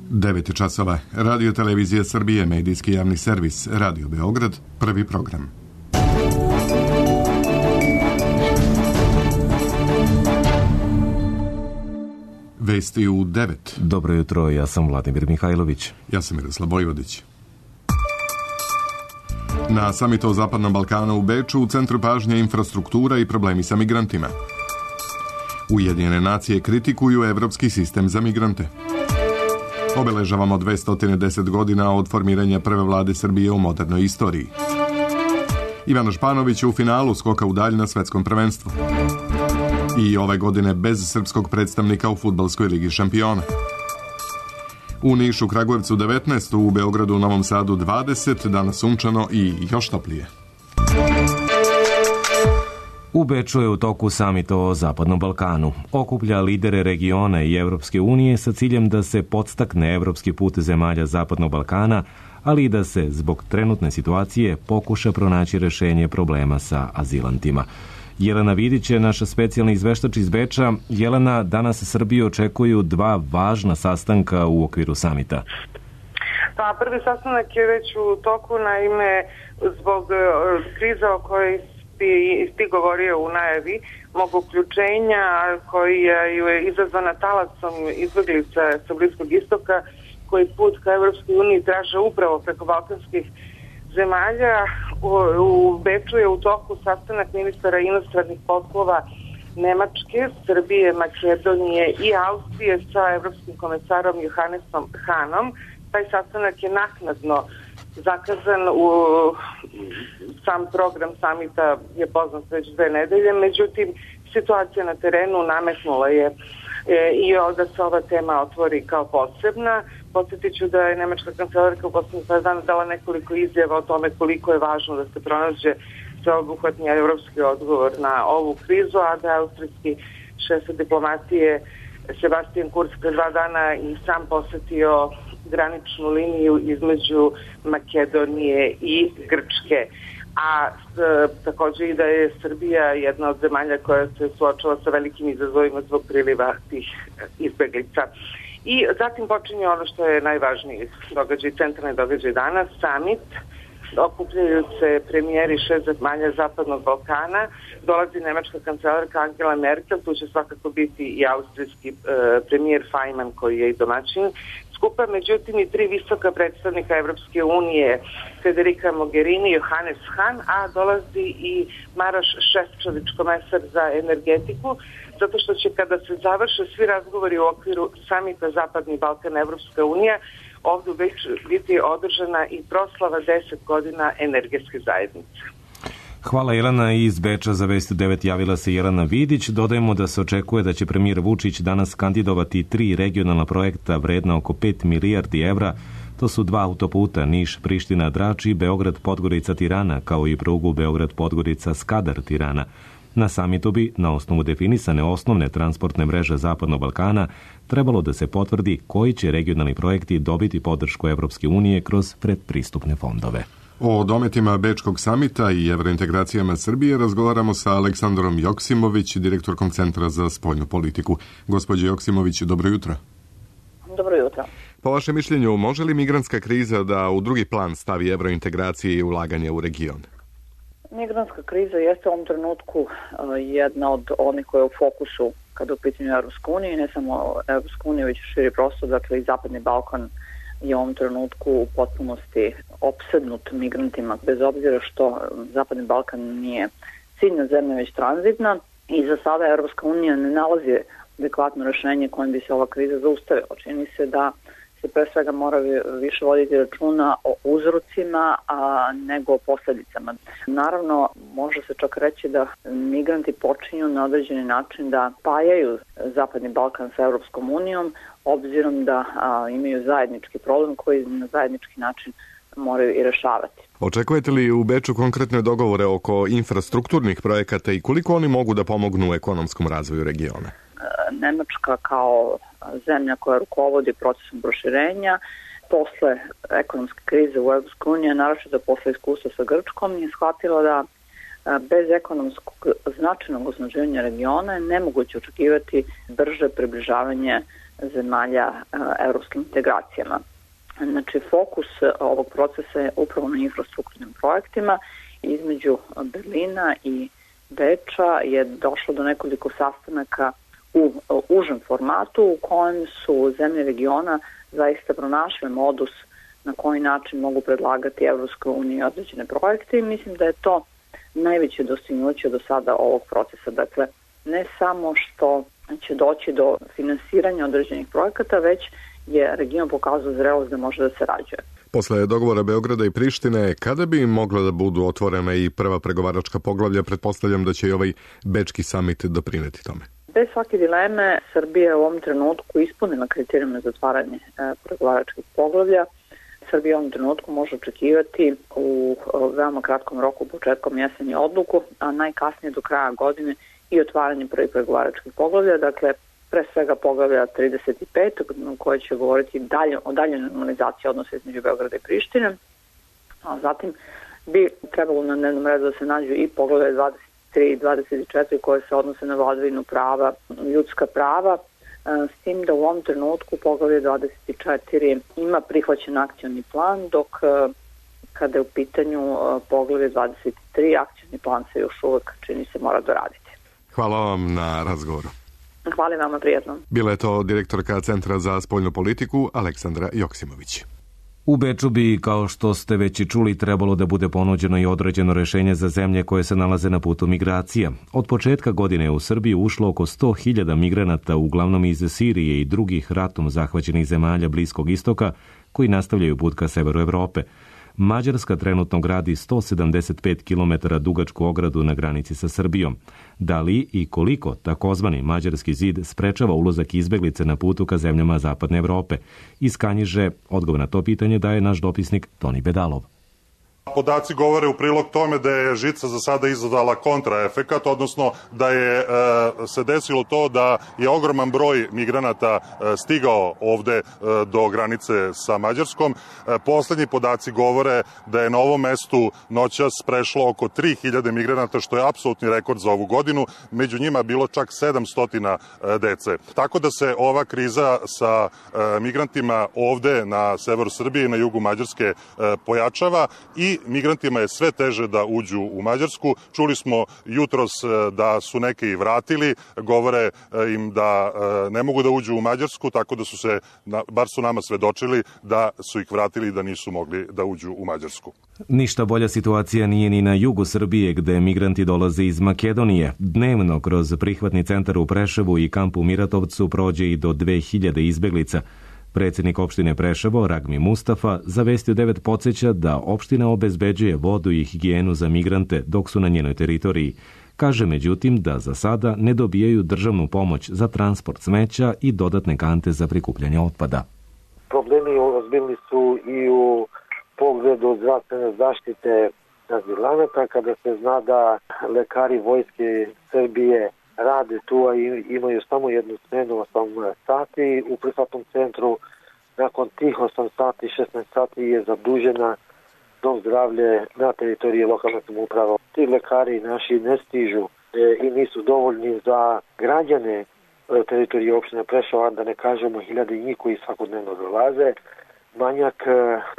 9 časova. Radio Televizija Srbije, medijski javni servis, Radio Beograd, prvi program. Vesti u 9. Dobro jutro, ja sam Vladimir Mihajlović. Ja sam Miroslav Vojvodić. Na samitu o Zapadnom Balkanu u Beču u centru pažnje infrastruktura i problemi sa migrantima. Ujedinjene nacije kritikuju evropski sistem za migrante. Obeležavamo 210 godina od formiranja prve vlade Srbije u modernoj istoriji. Ivana Španović u finalu skoka u dalj na svetskom prvenstvu. I ove godine bez srpskog predstavnika u fudbalskoj ligi šampiona. U Nišu, Kragujevcu 19, u Beogradu, Novom Sadu 20, danas sunčano i još toplije. U Beču je u toku samit o Zapadnom Balkanu. Okuplja lidere regiona i Evropske unije sa ciljem da se podstakne evropski put zemalja Zapadnog Balkana, ali i da se zbog trenutne situacije pokuša pronaći rešenje problema sa azilantima. Jelena Vidić je naša specijalna izveštač iz Beča. Jelena, danas Srbiju očekuju dva važna sastanka u okviru samita. Pa, prvi sastanak je već u toku, naime, zbog kriza o kojoj ti govorio u najavi mog uključenja, koji je izazvana talasom izbeglica sa Bliskog istoka, koji put ka Evropskoj uniji traže upravo preko balkanskih zemalja. U Beču je u toku sastanak ministara inostranih poslova Nemačke, Srbije, Makedonije i Austrije sa evropskim komesarom Johannesom Hanom. Taj sastanak je naknadno zakazan, u sam program samita je poznat već 2 nedelje, međutim situacija na terenu nametnula je i da se ova tema otvori kao posebna. Podsjetit ću da je nemačka kancelarka u poslednjih 5 dana dala nekoliko izjava o tome koliko je važno da se pronađe sveobuhvatni evropski odgovor na ovu krizu, a da je austrijski šef diplomatije Sebastian Kurz pre 2 dana i sam posetio graničnu liniju između Makedonije i Grčke. A takođe i da je Srbija jedna od zemalja koja se suočava sa velikim izazovima zbog priliva tih izbeglica. I zatim počinje ono što je najvažniji događaj, centralni događaj danas, samit. Okupljaju se premijeri 6 zemalja Zapadnog Balkana, dolazi nemačka kancelarka Angela Merkel, tu će svakako biti i austrijski premijer Faymann koji je i domaćin skupa, međutim i 3 visoka predstavnika Evropske unije, Federica Mogherini, Johannes Hahn, a dolazi i Maroš Šefčovič, komesar za energetiku, zato što će kada se završe svi razgovori u okviru samita Zapadni Balkan Evropska unija, ovdje već biti održana i proslava 10 godina energetske zajednice. Hvala Jelena. Iz Beča za Vesti 9 javila se Jelena Vidić. Dodajemo da se očekuje da će premijer Vučić danas kandidovati 3 regionalna projekta vredna oko 5 milijardi evra. To su 2 autoputa Niš-Priština-Drač i Beograd-Podgorica-Tirana, kao i prugu Beograd-Podgorica-Skadar-Tirana. Na samitu bi, na osnovu definisane osnovne transportne mreže Zapadnog Balkana, trebalo da se potvrdi koji će regionalni projekti dobiti podršku Evropske unije kroz predpristupne fondove. O dometima Bečkog samita i evrointegracijama Srbije razgovaramo sa Aleksandrom Joksimović, direktorkom Centra za spoljnu politiku. Gospođo Joksimović, dobro jutro. Dobro jutro. Po vašem mišljenju, može li migrantska kriza da u drugi plan stavi evrointegracije i ulaganje u region? Migrantska kriza jeste u ovom trenutku jedna od onih koja je u fokusu kada u pitanju Evropske unije, ne samo Evropske unije, već širi prostor, dakle i Zapadni Balkan je u ovom trenutku u potpunosti opsednut migrantima, bez obzira što Zapadni Balkan nije ciljna zemlja, već tranzitna, i za sada Evropska unija ne nalazi adekvatno rešenje kojim bi se ova kriza zaustavila. Čini se da se pre svega mora više voditi računa o uzrocima nego o posledicama. Naravno, može se čak reći da migranti počinju na određeni način da spajaju Zapadni Balkan sa Evropskom unijom, obzirom da imaju zajednički problem koji na zajednički način moraju i rešavati. Očekujete li u Beču konkretne dogovore oko infrastrukturnih projekata i koliko oni mogu da pomognu u ekonomskom razvoju regiona? Nemačka kao zemlja koja rukovodi procesom proširenja posle ekonomske krize u EU, naročito posle iskustva sa Grčkom, je shvatila da bez ekonomskog značajnog osnaživanja regiona je nemoguće očekivati brže približavanje zemalja evropskim integracijama. Znači, fokus ovog procesa je upravo na infrastrukturnim projektima. Između Berlina i Beča je došlo do nekoliko sastanaka u užem formatu u kojem su zemlje regiona zaista pronašle modus na koji način mogu predlagati Evropskoj uniji određene projekte i mislim da je to najveće dostignuće do sada ovog procesa. Dakle, ne samo što će doći do finansiranja određenih projekata, već je region pokazao zrelost da može da se rađuje. Posle dogovora Beograda i Prištine, kada bi mogla da budu otvorena i prva pregovaračka poglavlja, pretpostavljam da će i ovaj Bečki samit doprineti tome. Bez svake dileme, Srbija je u ovom trenutku ispunila kriterijume za otvaranje pregovaračkih poglavlja. Srbija u ovom trenutku može očekivati u veoma kratkom roku, početkom jeseni odluku, a najkasnije do kraja godine i otvaranje prvih pregovaračkih poglavlja, dakle pre svega poglavlja 35, koje će govoriti o daljoj normalizaciji odnosa između Beograda i Prištine, a zatim bi trebalo na dnevnom redu da se nađu i poglavlja 23 i 24 koje se odnose na vladavinu prava, ljudska prava, s tim da u ovom trenutku poglavlje 24 ima prihvaćen akcioni plan, dok kada je u pitanju poglavlje 23, akcioni plan se još uvek, čini se, mora doraditi. Hvala vam na razgovoru. Hvala vama, prijatno. Bila je to direktorka Centra za spoljnu politiku Aleksandra Joksimović. U Beču bi, kao što ste već i čuli, trebalo da bude ponuđeno i određeno rešenje za zemlje koje se nalaze na putu migracija. Od početka godine je u Srbiju ušlo oko 100.000 migranata, uglavnom iz Sirije i drugih ratom zahvaćenih zemalja Bliskog istoka, koji nastavljaju put ka severu Evrope. Mađarska trenutno gradi 175 km dugačku ogradu na granici sa Srbijom. Da li i koliko takozvani Mađarski zid sprečava ulazak izbeglice na putu ka zemljama Zapadne Evrope? Iz Kanjiže odgovor na to pitanje daje naš dopisnik Toni Bedalov. Podaci govore u prilog tome da je žica za sada izazvala kontraefekat, odnosno da je se desilo to da je ogroman broj migranata stigao ovde do granice sa Mađarskom. Poslednji podaci govore da je na ovom mestu noćas prešlo oko 3.000 migranata, što je apsolutni rekord za ovu godinu. Među njima bilo čak 700 dece. Tako da se ova kriza sa migrantima ovde na severu Srbije i na jugu Mađarske pojačava i migrantima je sve teže da uđu u Mađarsku. Čuli smo jutros da su neke i vratili, govore im da ne mogu da uđu u Mađarsku, tako da su se, bar su nama svedočili, da su ih vratili i da nisu mogli da uđu u Mađarsku. Ništa bolja situacija nije ni na jugu Srbije, gde migranti dolaze iz Makedonije. Dnevno kroz prihvatni centar u Preševu i kamp u Miratovcu prođe i do 2000 izbeglica. Predsjednik opštine Preševo, Ragmi Mustafa, za Vesti 9 podsjeća da opština obezbeđuje vodu i higijenu za migrante dok su na njenoj teritoriji. Kaže međutim da za sada ne dobijaju državnu pomoć za transport smeća i dodatne kante za prikupljanje otpada. Problemi ozbiljni su i u pogledu zdravstvene zaštite azilanata, kada se zna da lekari Vojske Srbije rade tu, a imaju samo jednu smenu 8 sati u prihvatnom centru. Nakon tih 8 sati, 16 sati je zadužena dom zdravlje na teritoriji lokalne samouprave. Ti lekari naši ne stižu i nisu dovoljni za građane teritorije opštine Preševa, da ne kažemo hiljade njih koji svakodnevno dolaze. Manjak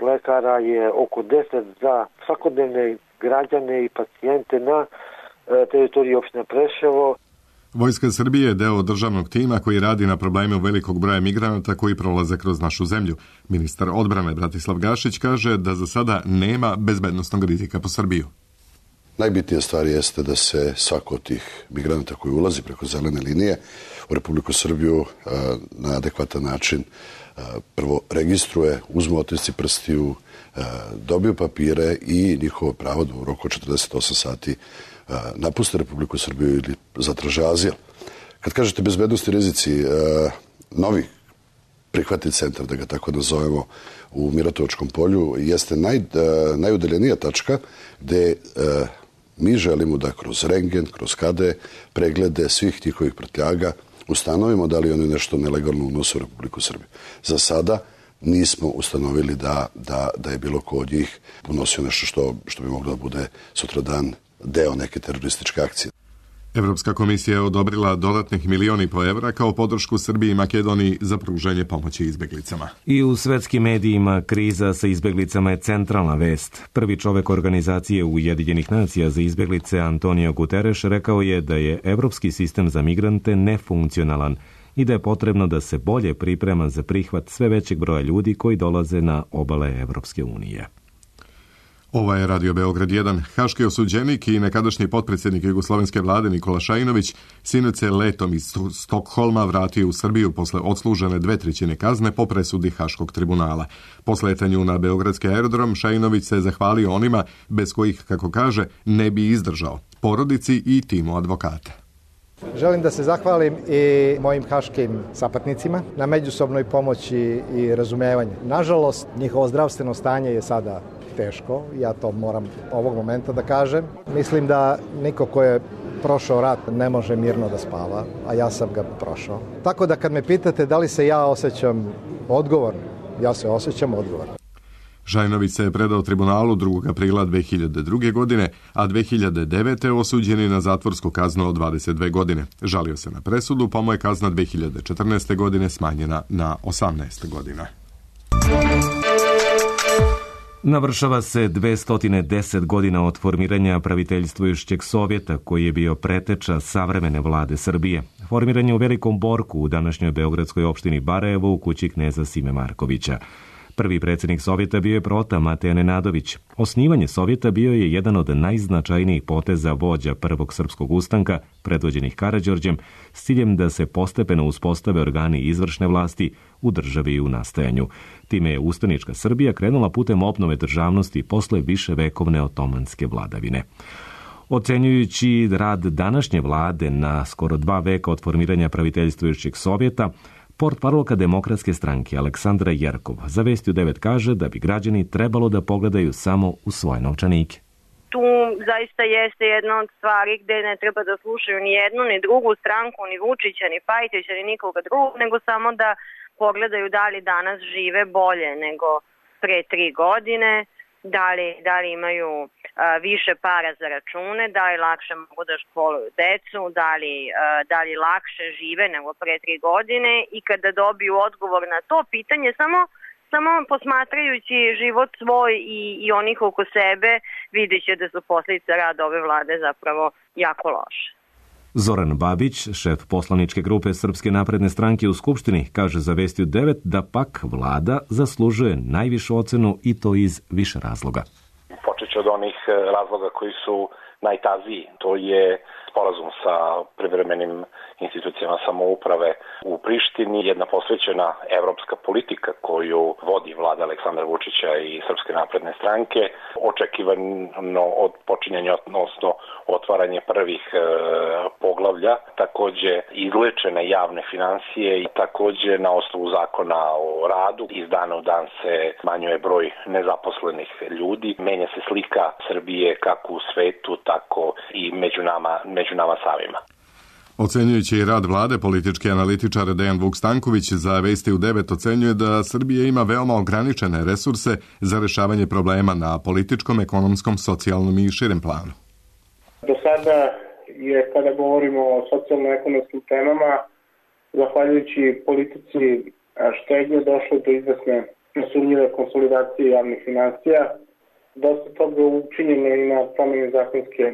lekara je oko 10 za svakodnevne građane i pacijente na teritoriji opštine Preševo. Vojska Srbije je deo državnog tima koji radi na problemu velikog broja migranata koji prolaze kroz našu zemlju. Ministar odbrane Bratislav Gašić kaže da za sada nema bezbednosnog rizika po Srbiju. Najbitnija stvar jeste da se svako od tih migranata koji ulazi preko zelene linije u Republiku Srbiju na adekvatan način prvo registruje, uzmu otisci prstiju, dobiju papire i njihovo pravo da u roku 48 sati napuste Republiku Srbiju ili zatraže azil. Kad kažete bezbednosti rizici, novi prihvatni centar, da ga tako nazovemo, u Miratovačkom polju jeste najudaljenija tačka gde mi želimo da kroz rengen, kroz KD preglede svih njihovih prtljaga ustanovimo da li oni nešto nelegalno unose u Republiku Srbiju. Za sada nismo ustanovili da je bilo ko od njih unosio nešto što bi moglo da bude sutradan deo neke terorističke akcije. Evropska komisija je odobrila dodatnih 1,5 miliona evra kao podršku Srbiji i Makedoniji za pružanje pomoći izbeglicama. I u svetskim medijima kriza sa izbeglicama je centralna vest. Prvi čovek organizacije Ujedinjenih nacija za izbeglice Antonio Guterres rekao je da je evropski sistem za migrante nefunkcionalan i da je potrebno da se bolje priprema za prihvat sve većeg broja ljudi koji dolaze na obale Evropske unije. Ovo je Radio Beograd 1. Haški osuđenik i nekadašnji potpredsjednik jugoslovenske vlade Nikola Šajinović sinoć se letom iz Stokholma vratio u Srbiju posle odslužene 2/3 kazne po presudi Haškog tribunala. Po sletanju na beogradski aerodrom Šajinović se zahvalio onima bez kojih, kako kaže, ne bi izdržao, porodici i timu advokata. Želim da se zahvalim i mojim haškim sapatnicima na međusobnoj pomoći i razumevanju. Nažalost, njihovo zdravstveno stanje je sada teško, ja to moram ovog momenta da kažem. Mislim da niko ko je prošao rat ne može mirno da spava, a ja sam ga prošao. Tako da kad me pitate da li se ja osjećam odgovorno, ja se osjećam odgovorno. Šajinović se je predao tribunalu 2. aprila 2002. godine, a 2009. osuđen je na zatvorsku kaznu od 22 godine. Žalio se na presudu, pa mu je kazna 2014. godine smanjena na 18 godina. Navršava se 210 godina od formiranja praviteljstvujućeg Sovjeta, koji je bio preteča savremene vlade Srbije. Formiran je u Velikom Borku, u današnjoj beogradskoj opštini Barajevo, u kući kneza Sime Markovića. Prvi predsjednik Sovjeta bio je Prota Mateja Nenadović. Osnivanje Sovjeta bio je jedan od najznačajnijih poteza vođa Prvog srpskog ustanka, predvođenih Karađorđem, s ciljem da se postepeno uspostave organi izvršne vlasti u državi i u nastajanju. Time je ustanička Srbija krenula putem obnove državnosti posle viševekovne otomanske vladavine. Ocenjujući rad današnje vlade na skoro 2 veka od formiranja praviteljstvujućeg Sovjeta, portparolka Demokratske stranke Aleksandra Jerkov za Vesti u 9 kaže da bi građani trebalo da pogledaju samo u svoje novčanike. Tu zaista jeste jedna od stvari gde ne treba da slušaju ni jednu, ni drugu stranku, ni Vučića, ni Pajtića, ni nikoga drugog, nego samo da pogledaju da li danas žive bolje nego pre 3 godine, da li imaju više para za račune, da li lakše mogu da školuju decu, da li lakše žive nego pre 3 godine, i kada dobiju odgovor na to pitanje, samo posmatrajući život svoj i onih oko sebe, vidjet će da su posljedice rada ove vlade zapravo jako loše. Zoran Babić, šef poslaničke grupe Srpske napredne stranke u Skupštini, kaže za Vesti u 9 da pak vlada zaslužuje najvišu ocenu i to iz više razloga. Počeći od onih razloga koji su najtaziji, to je sporazum sa privremenim institucijama samouprave u Prištini, jedna posvećena evropska politika koju vodi vlada Aleksandra Vučića i Srpske napredne stranke, očekivano od počinjanja, odnosno otvaranje prvih poglavlja, takođe izlečene javne finansije i takođe na osnovu zakona o radu iz dana u dan se smanjuje broj nezaposlenih ljudi, menja se slika Srbije kako u svetu, tako i među nama samima. Ocenjujući rad vlade, politički analitičar Dejan Vuk Stanković za Vesti u 9 ocenjuje da Srbija ima veoma ograničene resurse za rešavanje problema na političkom, ekonomskom, socijalnom i širem planu. Do sada je, kada govorimo o socijalno-ekonomskim temama, zahvaljujući politici štednje došlo do izvesne nesumnjive konsolidacije javnih finansija. Dosta toga učinjeno i na promjeni zakonske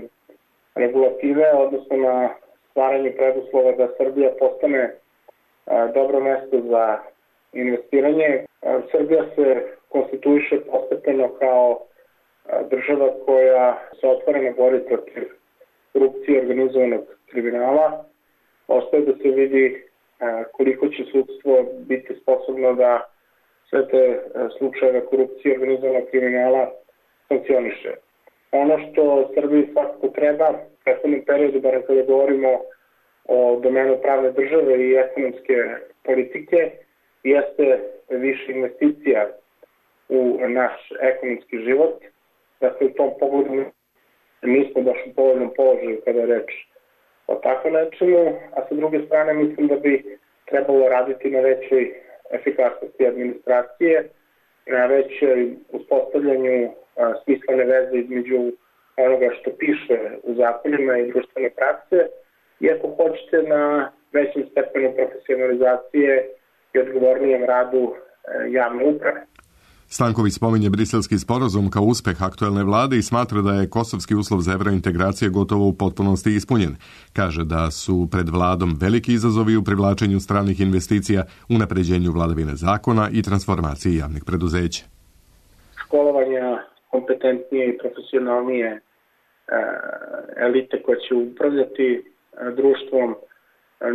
regulative, odnosno na stvaranje preduslova da Srbija postane dobro mesto za investiranje. Srbija se konstituiše postepeno kao država koja se otvoreno bori protiv korupcije i organizovanog kriminala. Ostaje da se vidi koliko će sudstvo biti sposobno da sve te slučajeve korupcije i organizovanog kriminala sankcioniše. Ono što Srbiji svakako treba u prethodnom periodu, bar kada govorimo o domenu pravne države i ekonomske politike, jeste više investicija u naš ekonomski život. Dakle, u tom pogledu nismo baš u povoljnom položaju kada je reč o tako nečemu, a sa druge strane mislim da bi trebalo raditi na većoj efikasnosti administracije, na većoj uspostavljanju smislene veze između onoga što piše u zakonima i društvene prakse i ako hoćete na većem stepenu profesionalizacije i odgovornijem radu javne uprave. Stanković spominje briselski sporazum kao uspeh aktuelne vlade i smatra da je kosovski uslov za evrointegracije gotovo u potpunosti ispunjen. Kaže da su pred vladom veliki izazovi u privlačenju stranih investicija, unapređenju vladavine zakona i transformaciji javnih preduzeća. Školovanja kompetentnije i profesionalnije elite koje će upravljati društvom,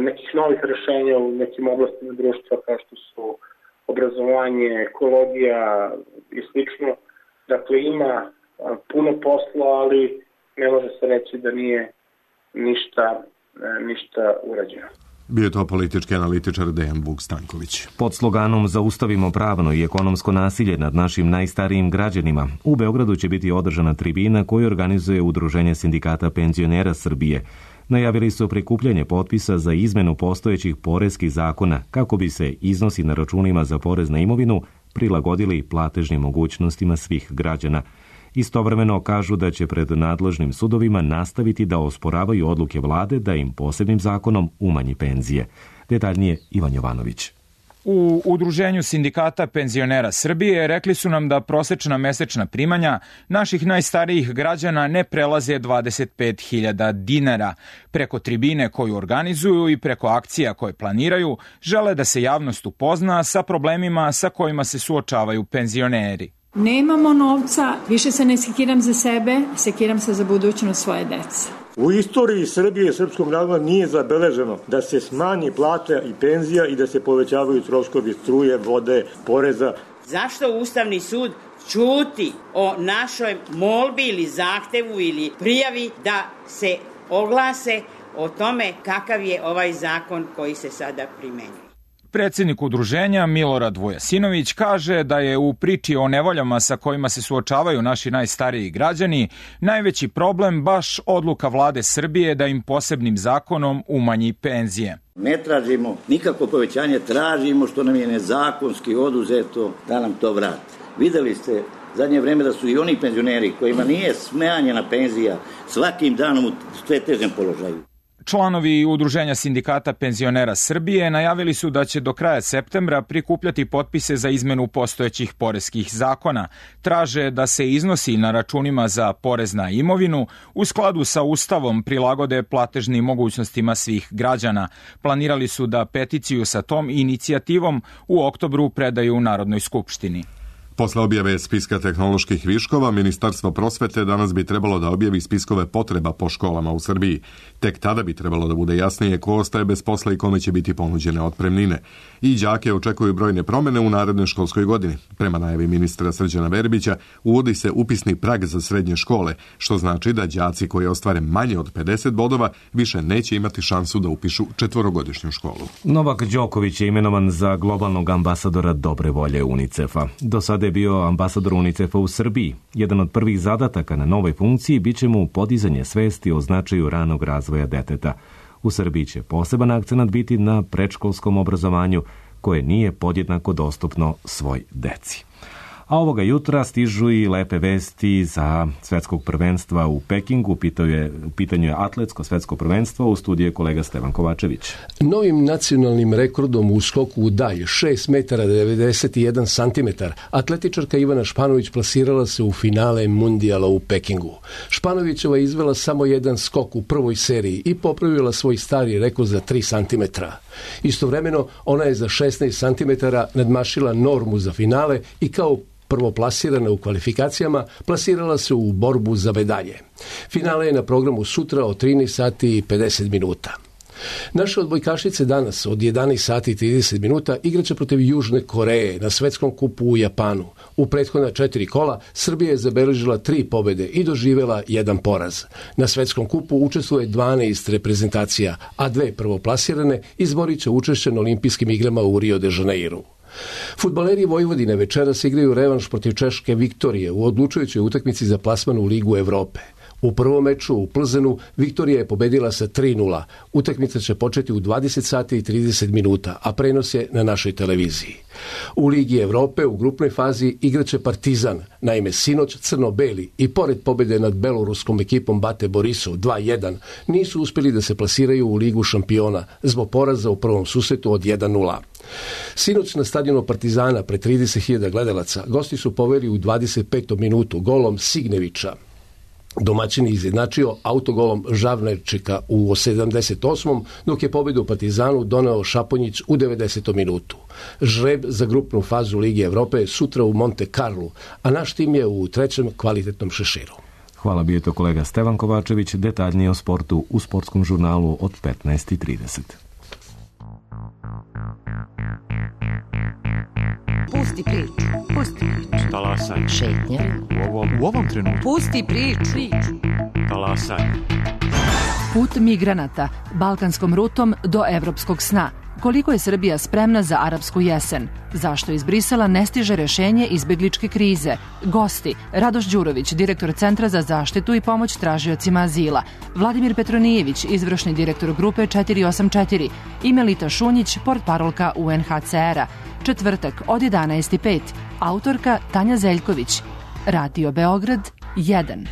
nekih novih rešenja u nekim oblastima društva kao što su obrazovanje, ekologija i slično. Dakle, ima puno posla, ali ne može se reći da nije ništa urađeno. Bio je to politički analitičar Dejan Vuk Stanković. Pod sloganom Zaustavimo pravno i ekonomsko nasilje nad našim najstarijim građanima, u Beogradu će biti održana tribina koju organizuje Udruženje sindikata penzionera Srbije. Najavili su prikupljanje potpisa za izmenu postojećih poreskih zakona kako bi se iznosi na računima za porez na imovinu prilagodili platežnim mogućnostima svih građana. Istovremeno kažu da će pred nadležnim sudovima nastaviti da osporavaju odluke vlade da im posebnim zakonom umanji penzije. Detaljnije Ivan Jovanović. U Udruženju sindikata penzionera Srbije rekli su nam da prosečna mesečna primanja naših najstarijih građana ne prelaze 25.000 dinara. Preko tribine koju organizuju i preko akcija koje planiraju, žele da se javnost upozna sa problemima sa kojima se suočavaju penzioneri. Nemamo novca, više se ne sekiram za sebe, sekiram se za budućnost svoje dece. U istoriji Srbije i srpskog naroda nije zabeleženo da se smanji plata i penzija i da se povećavaju troškovi struje, vode, poreza. Zašto Ustavni sud ćuti o našoj molbi ili zahtevu ili prijavi da se oglase o tome kakav je ovaj zakon koji se sada primenjuje? Predsjednik udruženja Milorad Vujasinović kaže da je u priči o nevoljama sa kojima se suočavaju naši najstariji građani najveći problem baš odluka vlade Srbije da im posebnim zakonom umanji penzije. Ne tražimo nikakvo povećanje, tražimo što nam je nezakonski oduzeto da nam to vrati. Videli ste zadnje vreme da su i oni penzioneri kojima nije smanjena penzija svakim danom u sve težem položaju. Članovi Udruženja sindikata penzionera Srbije najavili su da će do kraja septembra prikupljati potpise za izmenu postojećih poreskih zakona. Traže da se iznosi na računima za porez na imovinu u skladu sa Ustavom prilagode platežnim mogućnostima svih građana. Planirali su da peticiju sa tom inicijativom u oktobru predaju u Narodnoj skupštini. Posle objave spiska tehnoloških viškova, Ministarstvo prosvete danas bi trebalo da objavi spiskove potreba po školama u Srbiji. Tek tada bi trebalo da bude jasnije ko ostaje bez posla i kome će biti ponuđene otpremnine. I đake očekuju brojne promene u narednoj školskoj godini. Prema najavi ministra Srđana Verbića, uvodi se upisni prag za srednje škole, što znači da đaci koji ostvare manje od 50 bodova više neće imati šansu da upišu četvorogodišnju školu. Novak Đoković je imenovan za globalnog ambasadora dobre volje UNICEF-a. Do sada je bio ambasador UNICEF-a u Srbiji. Jedan od prvih zadataka na novoj funkciji biće mu podizanje svesti o značaju ranog razvoja deteta. U Srbiji će poseban akcenat biti na predškolskom obrazovanju koje nije podjednako dostupno svoj deci. A ovoga jutra stižu i lepe vesti za svetskog prvenstva u Pekingu. U pitanju je atletsko svetsko prvenstvo. U studiju je kolega Stevan Kovačević. Novim nacionalnim rekordom u skoku u dalj 6 metara 91 santimetar atletičarka Ivana Španović plasirala se u finale mundijala u Pekingu. Španovićeva je izvela samo jedan skok u prvoj seriji i popravila svoj stari rekord za 3 santimetra. Istovremeno, ona je za 16 santimetara nadmašila normu za finale i kao prvoplasirana u kvalifikacijama, plasirala se u borbu za medalje. Finale je na programu sutra od 13 sati i 50 minuta. Naše odbojkašice danas od 11 sati i 30 minuta igraće protiv Južne Koreje na svetskom kupu u Japanu. U prethodna 4 kola Srbija je zabeležila 3 pobjede i doživjela 1 poraz. Na svetskom kupu učestvuje 12 reprezentacija, a 2 prvoplasirane izborit će učešće na olimpijskim igrama u Rio de Janeiru. Fudbaleri Vojvodine večeras igraju revanš protiv češke Viktorije u odlučujućoj utakmici za plasman u Ligu Evrope. U prvom meču u Plzenu Viktorija je pobedila sa 3:0. Utakmica će početi u 20 sati i 30 minuta, a prenos je na našoj televiziji. U Ligi Evrope u grupnoj fazi igraće Partizan. Naime, sinoć crno-beli i pored pobjede nad beloruskom ekipom Bate Borisov 2:1 nisu uspjeli da se plasiraju u Ligu šampiona zbog poraza u prvom susretu od 1:0. Sinoć na stadionu Partizana pred 30.000 gledalaca gosti su poveli u 25. minutu golom Signevića. Domaćin je izjednačio autogolom Žavnerčika u 78. dok je pobjedu Partizanu doneo Šaponjić u 90. minutu. Žreb za grupnu fazu Lige Evrope sutra u Monte Carlu, a naš tim je u trećem kvalitetnom šeširu. Hvala, bio je to kolega Stevan Kovačević. Detaljnije o sportu u sportskom žurnalu od 15:30. Pusti priču. Pusti priču. Talasaj. Šetnja. U ovom trenutku. Pusti priču. Talasaj. Put migranata, balkanskom rutom do evropskog sna. Koliko je Srbija spremna za arapsku jesen? Zašto iz Brisela ne stiže rešenje izbegličke krize? Gosti: Radoš Đurović, direktor Centra za zaštitu i pomoć tražiocima azila, Vladimir Petronijević, izvršni direktor grupe 484 i Melita Šunjić, portparolka UNHCR-a. Četvrtak od 11:05. Autorka Tanja Zeljković. Radio Beograd 1.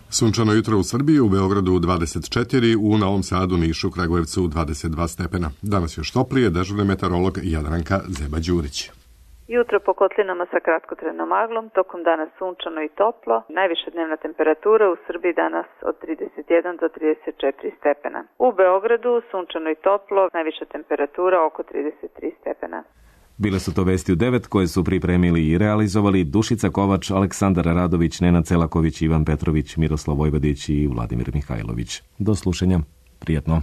Sunčano jutro u Srbiji, u Beogradu 24, u Novom Sadu, Nišu, Kragujevcu 22 stepena. Danas još toplije, dežurni meteorolog Jadranka Zeba-Đurić. Jutro po kotlinama sa kratkotrajnom maglom, tokom dana sunčano i toplo. Najviša dnevna temperatura u Srbiji danas od 31 do 34 stepena. U Beogradu sunčano i toplo, najviša temperatura oko 33 stepena. Bile su to vesti u 9 koje su pripremili i realizovali Dušica Kovač, Aleksandar Radović, Nenad Celaković, Ivan Petrović, Miroslav Vojvodić i Vladimir Mihajlović. Do slušanja. Prijetno.